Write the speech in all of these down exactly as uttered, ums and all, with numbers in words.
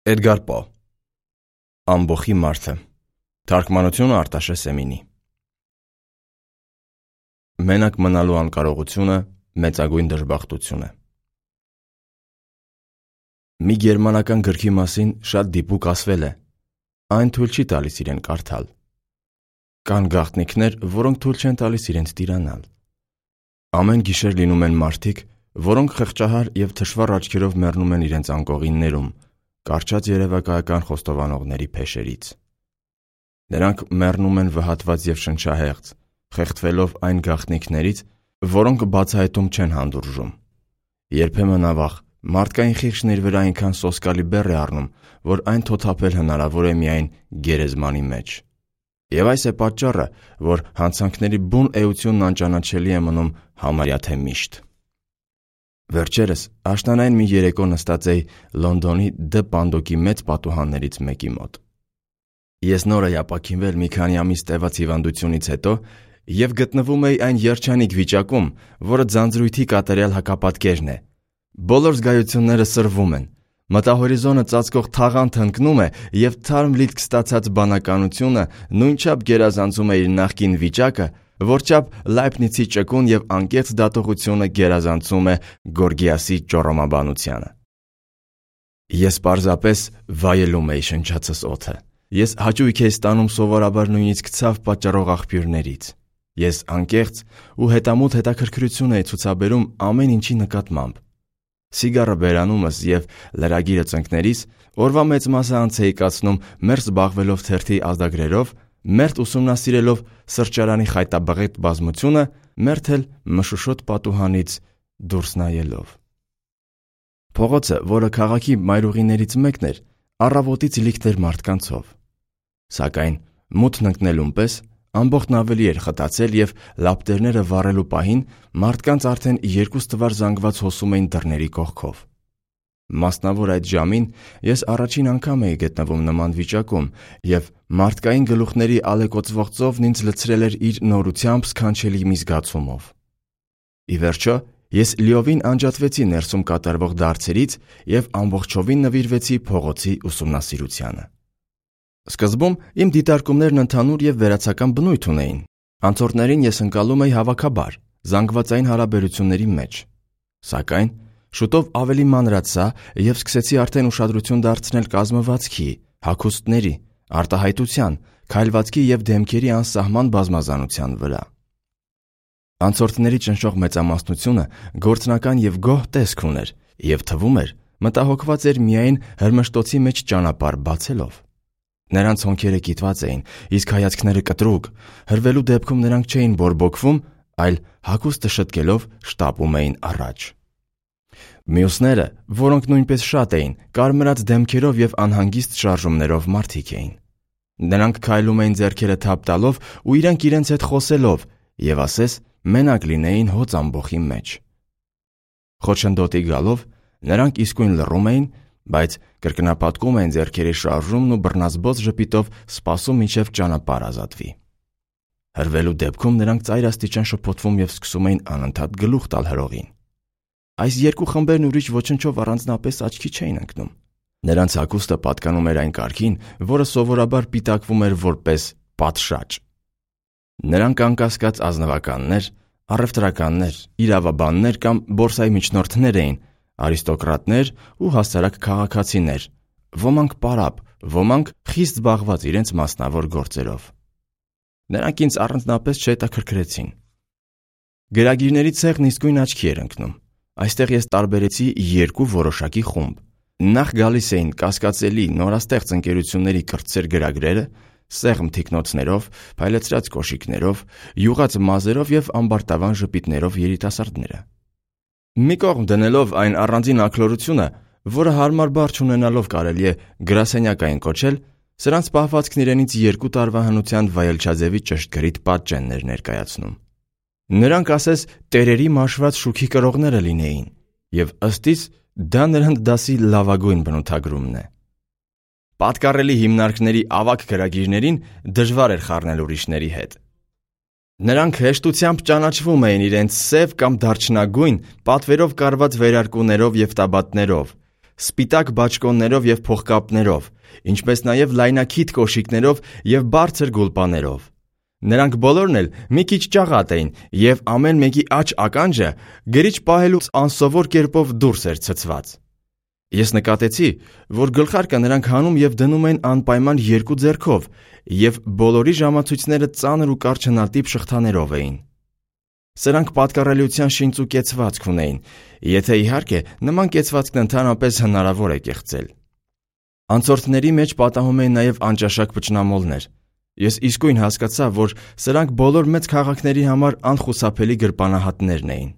Էդգար Պո Ամբոխի մարդը Թարգմանությունը Արտաշե Սեմինի Մենակ մնալու անկարողությունը մեծագույն դժբախտություն է։ Մի գերմանական գրքի մասին շատ դիպուկ ասվել է. այն թույլ չի տալիս իրեն կարդալ։ Կան գաղտնիքներ, որոնք թույլ չեն տալիս իրենց տիրանալ։ Ամեն գիշեր լինում են մարդիկ, որոնք խղճահար և թշվառ աչքերով մեռնում են իրենց անկողիններում, կարճած երևակայական խոստովանողների փեշերից։ Նրանք մեռնում են վհատված և շնչահեղձ, խեղդվելով այն գաղտնիքներից, որոնք բացահայտում չեն հանդուրժում։ Երբեմն ավաղ մարդկային խիղճն իր վրա այնքան սոսկալի բեռ է առնում, որ այն թոթափել հնարավոր է միայն գերեզմանի մեջ։ Եվ այս է պատճառը, որ հանցանքների բուն էությունն անճանաչելի է մնում համարյա թե միշտ։ Վերջերս աշնանային մի երեկո նստած էի Լոնդոնի Դ Պանդոկի մեծ պատուհաններից մեկի մոտ։ Ես նոր էի ապաքինվել մի քանի ամիս տևած հիվանդությունից հետո և գտնվում էի այն երջանիկ վիճակում, որը ձանձրույթի կատարյալ հակապատկերն է։ Բոլոր զգայությունները սրվում են, մտահորիզոնը ծածկող թաղանթը ընկնում է և թարմ լիտք ստացած բանականությունը նույնչափ գերազանցում է իր նախկին վիճակը, որչափ Լայբնիցի ճկուն և անկեղծ դատողությունը գերազանցում է Գորգիասի ճոռոմաբանությանը։ Ես պարզապես վայելում էի շնչածս օդը։ Ես հաճույք էի ստանում սովորաբար նույնիսկ ցավ պատճառող աղբյուրներից։ Ես անկեղծ ու հետամուտ հետաքրքրություն էի ցուցաբերում ամեն ինչի նկատմամբ։ Սիգարը բերանումս և լրագիրը ծնկներիս օրվա մեծ մասը անց էի կացնում մերձ զբաղվելով թերթի ազդագրերով, մերթ ուսումնասիրելով սրճարանի խայտաբղետ բազմությունը, մերթ էլ մշուշոտ պատուհանից դուրս նայելով։ Փողոցը, որը քաղաքի մայրուղիներից մեկն էր, առավոտից լիքն էր մարդկանցով։ Սակայն մութն ընկնելուն պես ամբողջն ավելի էր խտացել և լապտերները վառելու պահին մարդկանց արդեն երկու ստվար զանգված հոսում էին դռների կողքով։ Մասնավոր այդ ժամին ես առաջին անգամ էի գտնվում նման վիճակում և մարդկային գլուխների ալեկոծվող ծովն ինձ լցրել էր իր նորությամբ սքանչելի մի զգացումով։ Ի վերջո, ես լիովին անջատվեցի ներսում կատարվող դարձերից և ամբողջովին նվիրվեցի փողոցի ուսումնասիրությանը։ Սկզբում իմ դիտարկումներն ընդհանուր և վերացական բնույթ ունեին։ Անցորդներին ես ընկալում էի հավաքաբար, զանգվածային հարաբերությունների մեջ։ Սակայն շուտով ավելի մանրացա և սկսեցի արդեն ուշադրություն դարձնել կազմվածքի, հագուստների, արտահայտության, քայլվածքի և դեմքերի անսահման բազմազանության վրա։ Անցորդների ճնշող մեծամասնությունը գործնական և գոհ տեսք ուներ և թվում էր մտահոգված էր միայն հրմշտոցի մեջ ճանապարհ բացելով։ Նրանց հոնքերը կիտված էին, իսկ հայացքները կտրուկ, հրվելու դեպքում նրանք չէին բորբոքվում, այլ հագուստը շտկելով շտապում էին առաջ։ Մյուսները, որոնք նույնպես շատ էին, կարմրած դեմքերով և անհանգիստ շարժումներով մարդիկ էին։ Նրանք քայլում էին ձեռքերը թափ տալով ու իրենք իրենց հետ խոսելով և ասես մենակ լինեին հոծ ամբոխի մեջ։ Խոչընդոտի գալով նրանք իսկույն լռում էին, բայց կրկնապատկում էին ձեռքերի շարժումն ու բռնազբոս ժպիտով սպասում մինչև ճանապարհ ազատվի։ Հրվելու դեպքում նրանք ծայրաստիճան շփոթվում և սկսում էին անընդհատ գլուխ տալ հրողին։ Այս երկու խմբերն ուրիշ ոչնչով առանձնապես աչքի չէին ընկնում։ Նրանց հագուստը պատկանում էր այն կարգին, որը սովորաբար պիտակվում էր որպես պատշաճ։ Նրանք անկասկած ազնվականներ, առևտրականներ, իրավաբաններ կամ բորսայի միջնորդներ էին, արիստոկրատներ ու հասարակ քաղաքացիներ, ոմանք պարապ, ոմանք խիստ զբաղված իրենց մասնավոր գործերով։ Նրանք ինձ առանձնապես չհետաքրքրեցին։ Գրագիրների ցեղն իսկույն աչքի էր ընկնում։ Այստեղ ես տարբերեցի երկու որոշակի խումբ։ Նախ գալիս էին կասկածելի նորաստեղծ ընկերությունների կրտսեր գրագրերը, սեղմ թիկնոցներով, փայլեցրած կոշիկներով, յուղած մազերով և ամբարտավան ժպիտներով երիտասարդները։ Մի կողմ դնելով այն առանձին աքլորությունը, որը հարմար բառ չունենալով կարելի է գրասենյակային կոչել, սրանց պահվածքն իրենից երկու տարվա հնության վայելչաձևի ճշգրիտ պատճեն էր ներկայացնում։ Նրանք ասես տերերի մաշված շուքի կրողները լինեին, և ըստ իս դա նրանց դասի լավագույն բնութագրումն է։ Պատկառելի հիմնարկների ավագ գրագիրներին դժվար էր խառնել ուրիշների հետ։ Նրանք հեշտությամբ ճանաչվում էին իրենց սև կամ դարչնագույն, պատվերով կարված վերարկուներով և տաբատներով, սպիտակ բաճկոններով և փողկապներով, ինչպես նաև լայնաքիթ կոշիկներով և բարձր գուլպաներով։ Նրանք բոլորն էլ մի քիչ ճաղատ էին, և ամեն մեկի աջ ականջը գրիչ պահելու անսովոր կերպով դուրս էր ցցված։ Ես նկատեցի, որ գլխարկը նրանք հանում և դնում էին անպայման երկու ձեռքով, և բոլորի ժամացույցները ծանր ու կարճնատիպ շղթաներով էին։ Սրանք պատկառելիության շինծ ու կեցվածք ունեին, եթե իհարկե նման կեցվածքն ընդհանրապես հնարավոր է կեղծել։ Անցորդների մեջ պատահում էին նաև անճաշակ փչնամոլներ։ Ես իսկույն հասկացա, որ սրանք բոլոր մեծ քաղաքների համար անխուսափելի գրպանահատներն էին։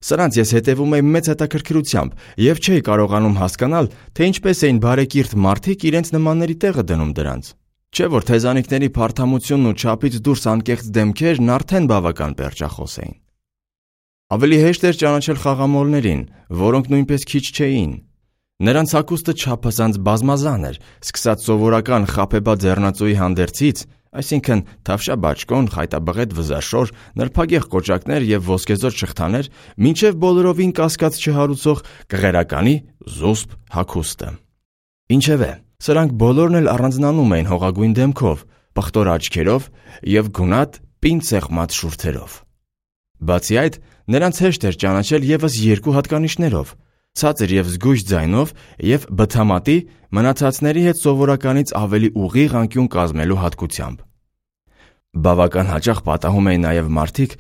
Սրանց ես հետևում էի մեծ հետաքրքրությամբ և չէի կարողանում հասկանալ, թե ինչպես էին բարեկիրթ մարդիկ իրենց նմանների տեղը դնում դրանց։ Չէ՞ որ թեզանիքների փարթամությունն ու չափից դուրս անկեղծ դեմքերն արդեն բավական պերճախոս էին։ Ավելի հեշտ էր ճանաչել խաղամոլներին, որոնք նույնպես քիչ չէին։ Նրանց հագուստը չափազանց բազմազան էր, սկսած սովորական խաբեբա ձեռնածուի հանդերձից, այսինքն թավշյա բաճկոն, խայտաբղետ վզաշոր, նրբագեղ կոճակներ և ոսկեզօծ շղթաներ, մինչև բոլորովին կասկած չհարուցող կղերականի զուսպ հագուստը։ Ինչևէ, սրանք բոլորն էլ առանձնանում էին հողագույն դեմքով, պղտոր աչքերով և գունատ պինդ սեղմած շուրթերով։ Բացի այդ, նրանց հեշտ էր ճանաչել ևս երկու հատկանիշներով՝ ցածր և զգույշ ձայնով և բթամատի մնացածների հետ սովորականից ավելի ուղիղ անկյուն կազմելու հատկությամբ։ Բավական հաճախ պատահում էին նաև մարդիկ,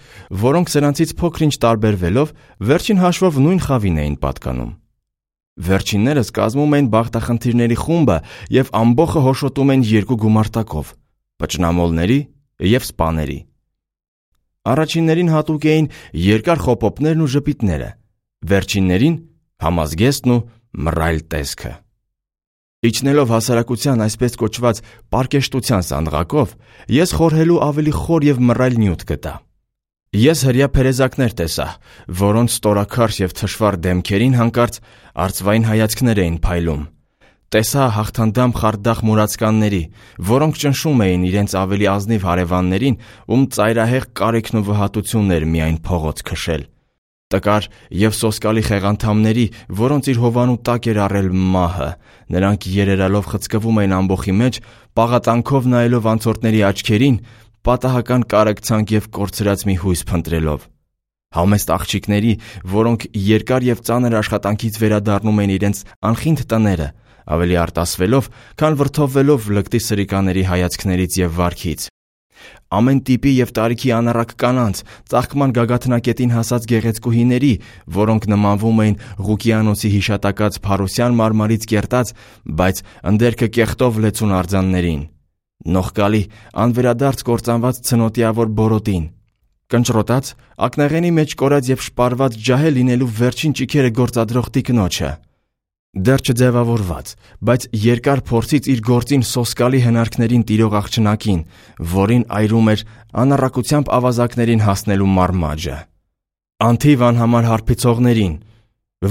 որոնք սրանցից փոքր-ինչ տարբերվելով վերջին հաշվով նույն խավին էին պատկանում։ Վերջիններս կազմում էին բախտախնդիրների խումբը և ամբոխը հոշոտում էին երկու գումարտակով՝ փչնամոլների և սպաների։ Առաջիններին հատուկ էին երկար խոպոպներն ու ժպիտները, վերջիններին՝ համազգեստն ու մռայլ տեսքը։ Իջնելով հասարակության այսպես կոչված պարկեշտության սանդղակով, ես խորհելու ավելի խոր և մռայլ նյութ գտա։ Ես հրեա փերեզակներ տեսա, որոնց ստորաքարշ և թշվառ դեմքերին հանկարծ արծվային հայացքներ էին փայլում։ Տեսա հաղթանդամ խարդախ մուրացկանների, որոնք ճնշում էին իրենց ավելի ազնիվ հարևաններին, ում ծայրահեղ կարիքն ու վհատությունն էր միայն փողոց քշել։ Տկար և սոսկալի խեղանդամների, որոնց իր հովանու տակ էր առել մահը, նրանք երերալով խցկվում էին ամբոխի մեջ, պաղատանքով նայելով անցորդների աչքերին, պատահական կարեկցանք և կորցրած մի հույս փնտրելով։ Համեստ աղջիկների, որոնք երկար և ծանր աշխատանքից վերադառնում էին իրենց անխինդ տները, ավելի արտասվելով, քան վրդովվելով լկտի սրիկաների հայացքներից և վարքից։ Ամեն տիպի և տարիքի անառակ կանանց, ծաղկման գագաթնակետին հասած գեղեցկուհիների, որոնք նմանվում էին Ղուկիանոսի հիշատակած փարոսյան մարմարից կերտած, բայց ընդերքը կեղտով լեցուն արձաններին, նողկալի, անվերադարձ կործանված ցնոտիավոր բորոտին, կնճռոտած, ակնաղենի մեջ կորած և շպարված ջահել լինելու վերջին ճիգերը գործադրող տիկնոջը, դեռ չձևավորված, բայց երկար փորձից իր գործին սոսկալի հնարքներին տիրող աղջնակին, որին այրում էր անառակությամբ ավազակներին հասնելու մարմաճը, անթիվ անհամար հարբեցողներին,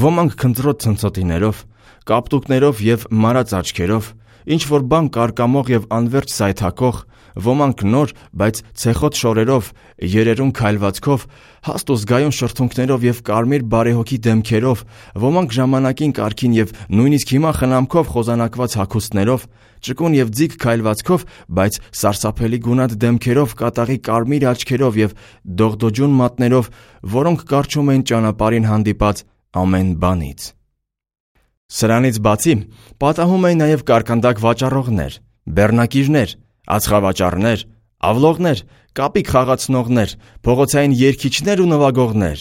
ոմանք քնձռոտ ցնցոտիներով, կապտուկներով և մարած աչքերով, ինչ-որ բան կարկամող և անվերջ սայթաքող, ոմանք նոր, բայց ցեխոտ շորերով, երերուն քայլվածքով, հաստ ու զգայուն շրթունքներով և կարմիր բարեհոգի դեմքերով, ոմանք ժամանակին կարգին և նույնիսկ հիմա խնամքով խոզանակված հագուստներով, ճկուն և ձիգ քայլվածքով, բայց սարսափելի գունատ դեմքերով, կատաղի կարմիր աչքերով և դողդոջուն մատներով, որոնք կառչում էին ճանապարհին հանդիպած ամեն բանից։ Սրանից բացի, պատահում էին նաև կարկանդակ վաճառողներ, բեռնակիրներ, ածխավաճառներ, ավլողներ, կապիկ խաղացնողներ, փողոցային երգիչներ ու նվագողներ,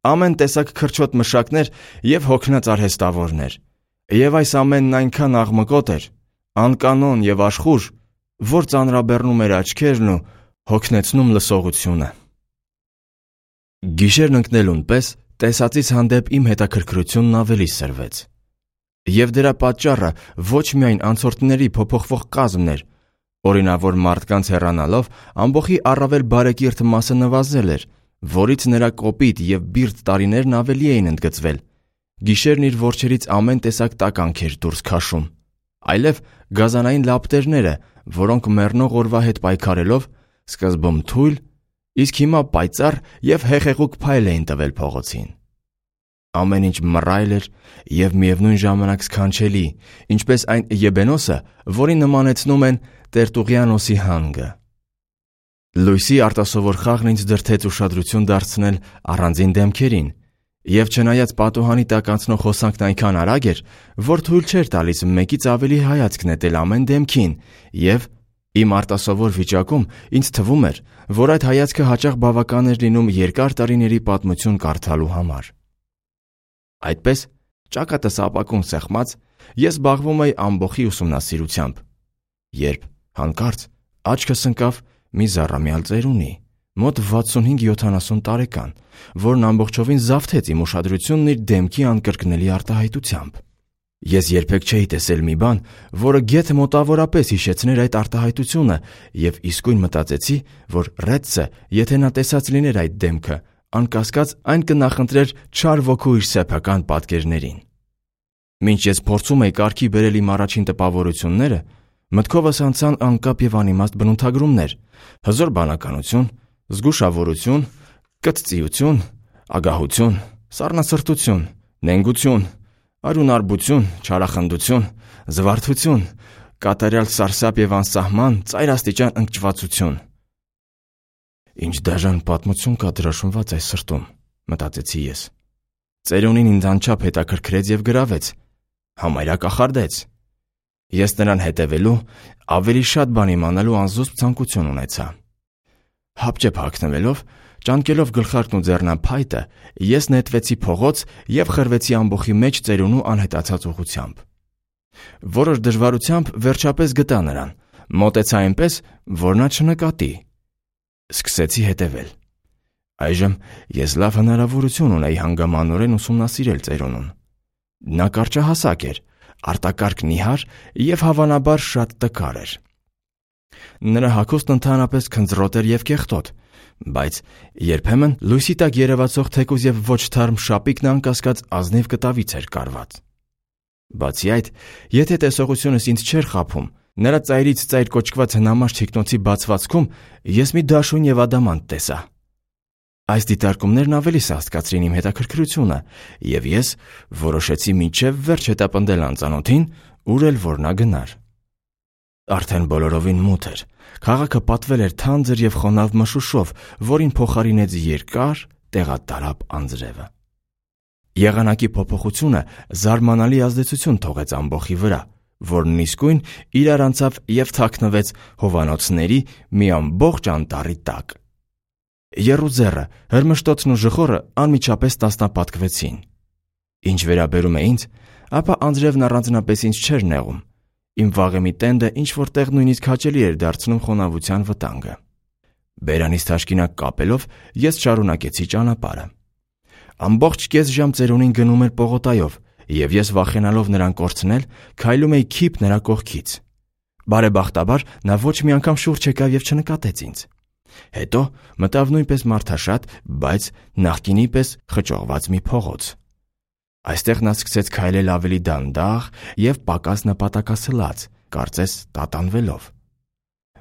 ամեն տեսակ քրչոտ մշակներ և հոգնած արհեստավորներ։ Եվ այս ամենն այնքան աղմկոտ էր, անկանոն և աշխուժ, որ ծանրաբեռնում էր աչքերն ու հոգնեցնում լսողությունը։ Գիշերն ընկնելուն պես տեսածից հանդեպ իմ հետաքրքրությունն ավելի սրվեց։ Եվ դրա պատճառը ոչ միայն անցորդների փոփոխվող կազմն էր, օրինավոր մարդկանց հեռանալով ամբոխի առավել բարեկիրթ մասը նվազել էր, որից նրա կոպիտ և բիրտ տարիներն ավելի էին ընդգծվել։ Գիշերն իր որջերից ամեն տեսակ տականք էր դուրս քաշում, այլև գազանային լապտերները, որոնք մեռնող օրվա հետ պայքարելով, սկզբում թույլ, իսկ հիմա պայծառ և հեղեղուկ փայլ էին տվել փողոցին։ Ամեն ինչ մռայլ էր և միևնույն ժամանակ սքանչելի, ինչպես այն եբենոսը, որին նմանեցնում են Տերտուղիանոսի հանգը։ Լույսի արտասովոր խաղն ինձ դրդեց ուշադրություն դարձնել առանձին դեմքերին, և չնայած պատուհանի տակ անցնող հոսանքն այնքան արագ էր, որ թույլ չէր տալիս մեկից ավելի հայացք նետել ամեն դեմքին, և իմ արտասովոր վիճակում ինձ թվում էր, որ այդ հայացքը հաճախ բավական էր լինում երկար տարիների պատմություն կարդալու համար։ Այդպես, ճակատս ապակուն սեղմած, ես զբաղվում էի ամբոխի ուսումնասիրությամբ, երբ հանկարծ աչքս ընկավ մի զառամյալ ծերունի, մոտ վաթսունհինգ յոթանասուն տարեկան, որն ամբողջովին զավթեց իմ ուշադրությունն իր դեմքի անկրկնելի արտահայտությամբ։ Ես երբեք չէի տեսել մի բան, որը գեթ մոտավորապես հիշեցներ այդ արտահայտությունը, և իսկույն մտածեցի, որ Ռեդսը, եթե նա տեսած լիներ այդ դեմքը, անկասկած այն կնախընտրեր չար ոգու իր սեփական պատկերներին։ Մինչ ես փորձում էի կարգի բերել իմ առաջին տպավորությունները, մտքովս անցան անկապ և անիմաստ բնութագրումներ՝ հզոր բանականություն, զգուշավորություն, կծծիություն, ագահություն, սառնասրտություն, նենգություն, արյունարբություն, չարախնդություն, զվարթություն, կատարյալ սարսափ և անսահման ծայրաստիճան ընկճվածություն։ Ինչ դաժան պատմություն կա դրոշմված այս սրտում, մտածեցի ես։ Ծերունին ինձ անչափ հետաքրքրեց և գրավեց, համարյա կախարդեց։ Ես նրան հետևելու, ավելի շատ բան իմանալու անզուսպ ցանկություն ունեցա։ Հապճեպ հագնվելով, ճանկելով գլխարկն ու ձեռնափայտը, ես նետվեցի փողոց և խրվեցի ամբոխի մեջ ծերունու անհետացած ուղղությամբ։ Որոշ դժվարությամբ վերջապես գտա նրան, մոտեցա այնպես, որ նա չնկատի։ Սկսեցի հետևել։ Այժմ ես լավ հնարավորություն ունեի հանգամանորեն ուսումնասիրել ծերունուն։ Նա կարճահասակ էր, արտակարգ նիհար և հավանաբար շատ տկար էր։ Նրա հագուստն ընդհանրապես քնձռոտ էր և կեղտոտ, բայց երբեմն լույսի տակ երևացող թեկուզ և ոչ թարմ շապիկն անկասկած ազնիվ կտավից էր կարված։ Բացի այդ, եթե տեսողությունս ինձ չէր խաբում, նրա ծայրից ծայր կոչկված հնամաշ թիկնոցի բացվածքում ես մի դաշույն և ադամանդ տեսա։ Այս դիտարկումներն ավելի սաստկացրին իմ հետաքրքրությունը, և ես որոշեցի մինչև վերջ հետապնդել անծանոթին, ուր էլ որ նա գնար։ Արդեն բոլորովին մութ էր, քաղաքը պատվել էր թանձր և խոնավ մշուշով, որին փոխարինեց երկար, տեղատարափ անձրևը։ Եղանակի փոփոխությունը զարմանալի ազդեցություն թողեց ամբոխի վրա, որն իսկույն իրար անցավ և թաքնվեց հովանոցների մի ամբողջ անտառի տակ։ Եռուձեռը, հրմշտոցն ու ժխորը անմիջապես տասնապատկվեցին։ Ինչ վերաբերում է ինձ, ապա անձրևն առանձնապես ինձ չէր նեղում։ Իմ վաղեմի տենդը ինչ-որ տեղ նույնիսկ հաճելի էր դարձնում խոնավության վտանգը։ Բերանից թաշկինակ կապելով, ես շարունակեցի ճանապարհը։ Ամբողջ կես ժամ ծերունին գնում էր պողոտայով, և ես վախենալով նրան կորցնել, քայլում էի քիփ նրա կողքից։ Բարեբախտաբար նա ոչ մի անգամ շուրջ եկավ և չնկատեց ինձ։ Հետո մտավ նույնպես մարդաշատ, բայց նախկինի պես խճողված մի փողոց։ Այստեղ նա սկսեց քայլել ավելի դանդաղ և պակաս նպատակասլաց, կարծես տատանվելով։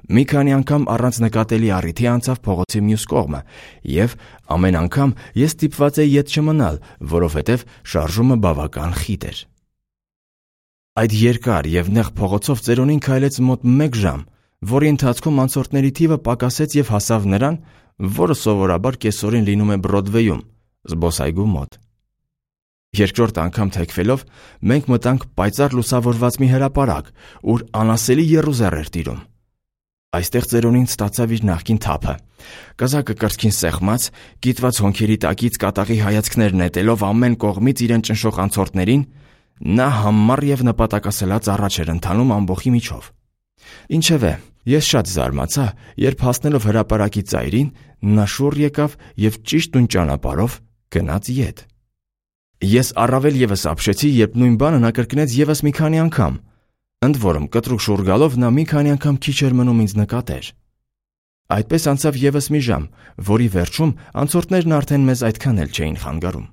Մի քանի անգամ առանց նկատելի առիթի անցավ փողոցի մյուս կողմը, և ամեն անգամ ես ստիպված էի ետ չմնալ, որովհետև շարժումը բավական խիտ էր։ Այդ երկար և նեղ փողոցով ծերունին քայլեց մոտ մեկ ժամ, որի ընթացքում անցորդների թիվը պակասեց և հասավ նրան, որը սովորաբար կեսօրին լինում է Բրոդվեյում, զբոսայգու մոտ։ Երկրորդ անգամ թեքվելով, մենք մտանք պայծառ լուսավորված մի հրապարակ, ուր անասելի եռուզեռ էր տիրում։ Այստեղ ծերունին ստացավ իր նախկին թափը։ Կզակը կրծքին սեղմած, կիտված հոնքերի տակից կատաղի հայացքներ նետելով ամեն կողմից իրեն ճնշող անցորդներին, նա համառ և նպատակասլաց առաջ էր ընթանում ամբոխի միջով։ Ինչևէ, ես շատ զարմացա, երբ հասնելով հրապարակի ծայրին, նա շուռ եկավ և ճիշտ նույն ճանապարհով գնաց ետ։ Ես առավել ևս ապշեցի, երբ նույն բանը նա կրկնեց ևս մի քանի անգամ։ Ընդ որում, կտրուկ շուռ գալով նա մի քանի անգամ քիչ էր մնում ինձ նկատեր։ Այդպես անցավ ևս մի ժամ, որի վերջում անցորդներն արդեն մեզ այդքան էլ չէին խանգարում։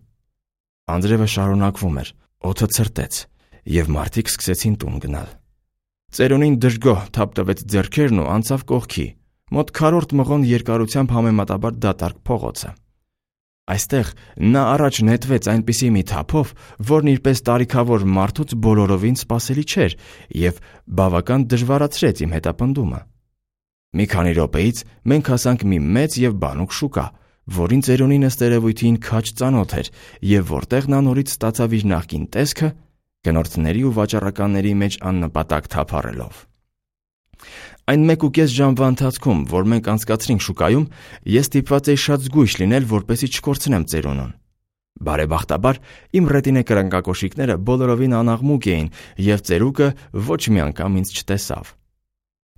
Անձրևը շարունակվում էր, օդը ցրտեց, և մարդիկ սկսեցին տուն գնալ։ Ծերունին դժգոհ թափ տվեց ձեռքերն ու անցավ կողքի, մոտ քառորդ մղոն երկարությամբ համեմատաբար դատարկ փողոցը։ Այստեղ նա առաջ նետվեց այնպիսի մի թափով, որն իրպես տարիքավոր մարդուց բոլորովին սպասելի չէր և բավական դժվարացրեց իմ հետապնդումը։ Մի քանի րոպեից մենք հասանք մի մեծ և բանուկ շուկա, որին ծերունին ըստ երևույթին քաջ ծանոթ էր և որտեղ նա նորից ստացավ իր նախկին տեսքը, գնորդների ու վաճառականների մեջ աննպատակ թափառելով։ Այն մեկ ու կես ժամվա ընթացքում, որ մենք անցկացրինք շուկայում, ես ստիպված էի շատ զգույշ լինել, որպեսզի չկորցնեմ ծերունուն։ Բարեբախտաբար, իմ ռետինե կրնկակոշիկները բոլորովին անաղմուկ էին, և ծերուկը ոչ մի անգամ ինձ չտեսավ։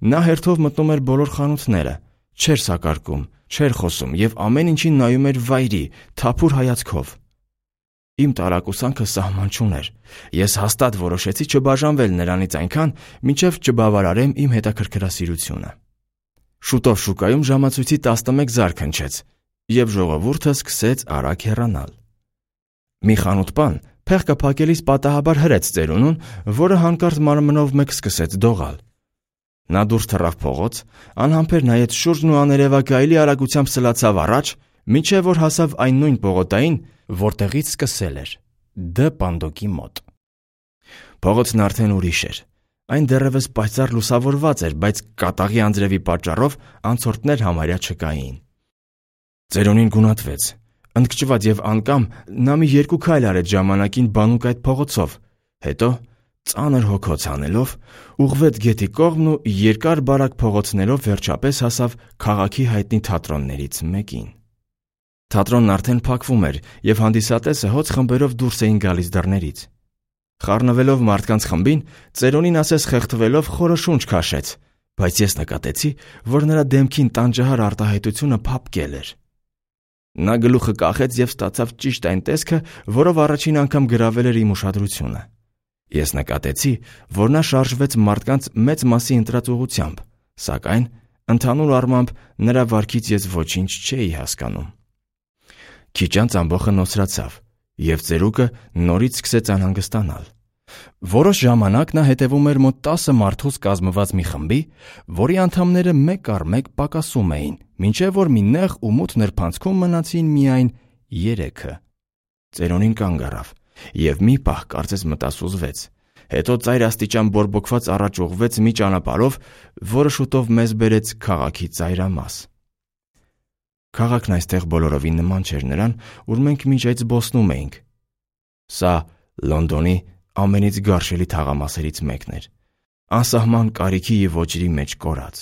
Նա հերթով մտնում էր բոլոր խանութները, չէր սակարկում, չէր խոսում և ամեն ինչին նայում էր վայրի, թափուր հայացքով։ Իմ տարակուսանքը սահման չուներ։ Ես հաստատ որոշեցի չբաժանվել նրանից այնքան, մինչև չբավարարեմ իմ հետաքրքրասիրությունը։ Շուտով շուկայում ժամացույցի տասնմեկ զարկ հնչեց, և ժողովուրդը սկսեց արագ հեռանալ։ Մի խանութպան փեղկը փակելիս պատահաբար հրեց ծերունուն, որը հանկարծ մարմնով մեկ սկսեց դողալ։ Նա դուրս թռավ փողոց, անհամբեր նայեց շուրջն ու աներևակայելի արագությամբ սլացավ առաջ, մինչև որ հասավ այն նույն պողոտային, որտեղից սկսել էր՝ Դ պանդոկի մոտ։ Փողոցն արդեն ուրիշ էր։ Այն դեռևս պայծառ լուսավորված էր, բայց կատաղի անձրևի պատճառով անցորդներ համարյա չկային։ Ծերունին գունատվեց։ Ընդգճված և անկամ նա մի երկու քայլ արեց ժամանակին բանուկ այդ փողոցով, հետո, ծանր հոգոց հանելով, ուղղվեց գետի կողմն ու երկար բարակ փողոցներով վերջապես հասավ քաղաքի հայտնի թատրոններից մեկին։ Թատրոնն արդեն փակվում էր, և հանդիսատեսը հոծ խմբերով դուրս էին գալիս դռներից։ Խառնվելով մարդկանց խմբին, ծերունին ասես խեղդվելով խորը շունչ քաշեց, բայց ես նկատեցի, որ նրա դեմքին տանջահար արտահայտությունը փափկել էր։ Նա գլուխը կախեց և ստացավ ճիշտ այն տեսքը, որով առաջին անգամ գրավել էր իմ ուշադրությունը։ Ես նկատեցի, որ նա շարժվեց մարդկանց մեծ մասի ընտրած ուղղությամբ, սակայն, ընդհանուր առմամբ, նրա վարքից ես ոչինչ չէի հասկանում։ Քիչ անց ամբոխը նոսրացավ, և ծերուկը նորից սկսեց անհանգստանալ։ Որոշ ժամանակ նա հետևում էր մոտ տասը մարդուց կազմված մի խմբի, որի անդամները մեկ առ մեկ պակասում էին, մինչև որ մի նեղ ու մութ նրբանցքում մնացին միայն երեքը։ Ծերունին կանգ առավ և մի պահ կարծես մտասուզվեց, հետո ծայրաստիճան բորբոքված առաջ ուղղվեց մի ճանապարհով, որը շուտով մեզ բերեց քաղաքի ծայրամաս։ Քաղաքն այստեղ բոլորովին նման չէր նրան, ուր մենք մինչ այդ զբոսնում էինք։ Սա Լոնդոնի ամենից գարշելի թաղամասերից մեկն էր, անսահման կարիքի և ոճերի մեջ կորած։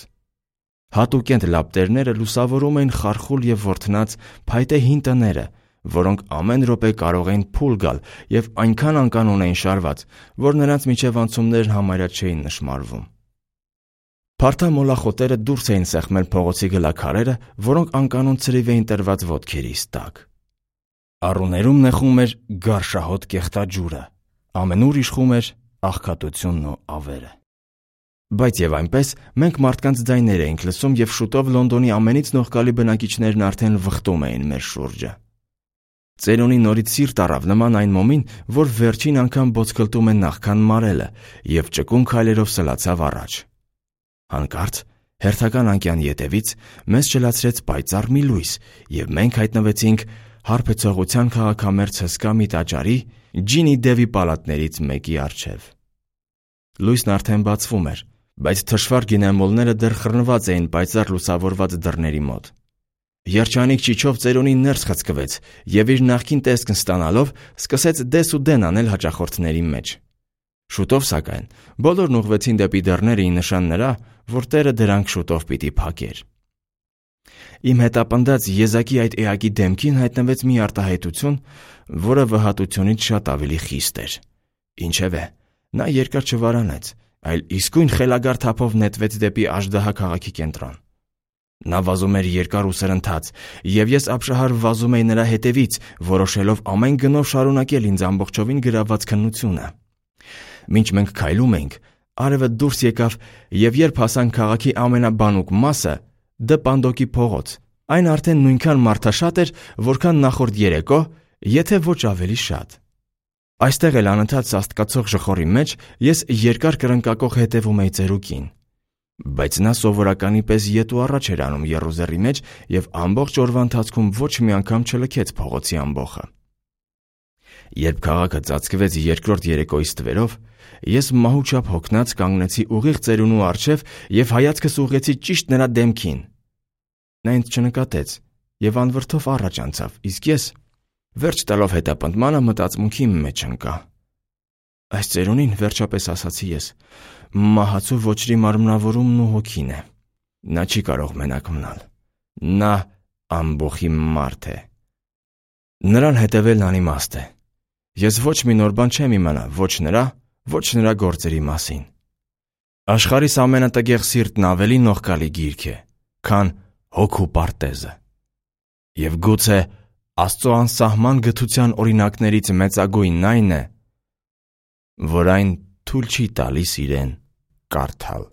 Հատուկենտ լապտերները լուսավորում էին խարխուլ և ворթնած փայտե հին տները, որոնք ամեն րոպե կարող էին փուլ գալ և այնքան անկանոն էին շարված, որ նրանց միջև անցումներն համարյա չէին նշմարվում։ Փարթա մոլախոտերը դուրս էին սեղմել փողոցի գլաքարերը, որոնք անկանոն ցրիվ էին տրված ոտքերիս տակ։ Առուներում նեղում էր գարշահոտ կեղտաջուրը, ամենուր իշխում էր աղքատությունն ու ավերը։ Բայց և այնպես մենք մարդկանց ձայներ էինք լսում և շուտով Լոնդոնի ամենից նողկալի բնակիչներն արդեն վխտում էին մեր շուրջը։ Ծերունի նորից սիրտ առավ նման այն մոմին, որ վերջին անգամ բոցկլտում է նախքան մարելը, և ճկուն քայլերով սլացավ առաջ։ Հանկարծ հերթական անկյան ետևից մեզ ճլացրեց պայծառ մի լույս, և մենք հայտնվեցինք հարբեցողության քաղաքամերձ հսկա մի տաճարի ջինի Դևի պալատներից մեկի առջև։ Լույսն արդեն բացվում էր, բայց թշվառ գինեմոլները դեռ խռնված էին պայծառ լուսավորված դռների մոտ։ Երջանիկ ճիչով ծերունին ներս խցկվեց և իր նախկին տեսքն ստանալով սկսեց դես ու դեն անել հաճախորդների մեջ։ Շուտով, սակայն, բոլորն ուղղվեցին դեպի դռները ի նշան նրա, որ տերը դրանք շուտով պիտի փակեր։ Իմ հետապնդած եզակի այդ էակի դեմքին հայտնվեց մի արտահայտություն, որը վհատությունից շատ ավելի խիստ էր։ Ինչևէ, նա երկար չվարանեց, այլ իսկույն խելագար թափով նետվեց դեպի Աժդահա քաղաքի կենտրոն։ Նա վազում էր երկար ու սրընթաց, և ես ապշահար վազում էի նրա հետևից, որոշելով ամեն գնով շարունակել ինձ ամբողջովին գրաված քննությունը։ Մինչ մենք քայլում էինք, արևը դուրս եկավ, և երբ հասանք քաղաքի ամենաբանուկ մասը՝ Դ պանդոկի փողոց, այն արդեն նույնքան մարդաշատ էր, որքան նախորդ երեկո, եթե ոչ ավելի շատ։ Այստեղ էլ անընդհատ սաստկացող ժխորի մեջ ես երկար կրնկակող հետևում էի ծերուկին։ Բայց նա սովորականի պես ետ ու առաջ էր անում եռուզեռի մեջ և ամբողջ օրվա ընթացքում ոչ մի անգամ չլքեց փողոցի ամբոխը։ Երբ քաղաքը ծածկվեց երկրորդ երեկոյի ստվերով, ես մահուչափ հոգնած կանգնեցի ուղիղ ծերունու առջև և հայացքս ուղղեցի ճիշտ նրա դեմքին։ Նա ինձ չնկատեց և անվրդով առաջ անցավ, իսկ ես, վերջ տալով հետապնդմանը, մտածմունքի մեջ ընկա։ Այս ծերունին, վերջապես ասացի ես, մահացու ոչրի մարմնավորումն ու հոգին է։ Նա չի կարող մենակ մնալ։ Նա ամբոխի մարդ է։ Նրան հետևելն անիմաստ է։ Ես ոչ մի նոր բան չեմ իմանա ոչ նրա, ոչ նրա գործերի մասին։ Աշխարհիս ամենատգեղ սիրտն ավելի նողկալի գիրք է, քան հոգու պարտեզը։ Եվ գուցե Աստծո անսահման գթության օրինակներից մեծագույնն այն է, որ այն թույլ չի տալիս իրեն կարդալ։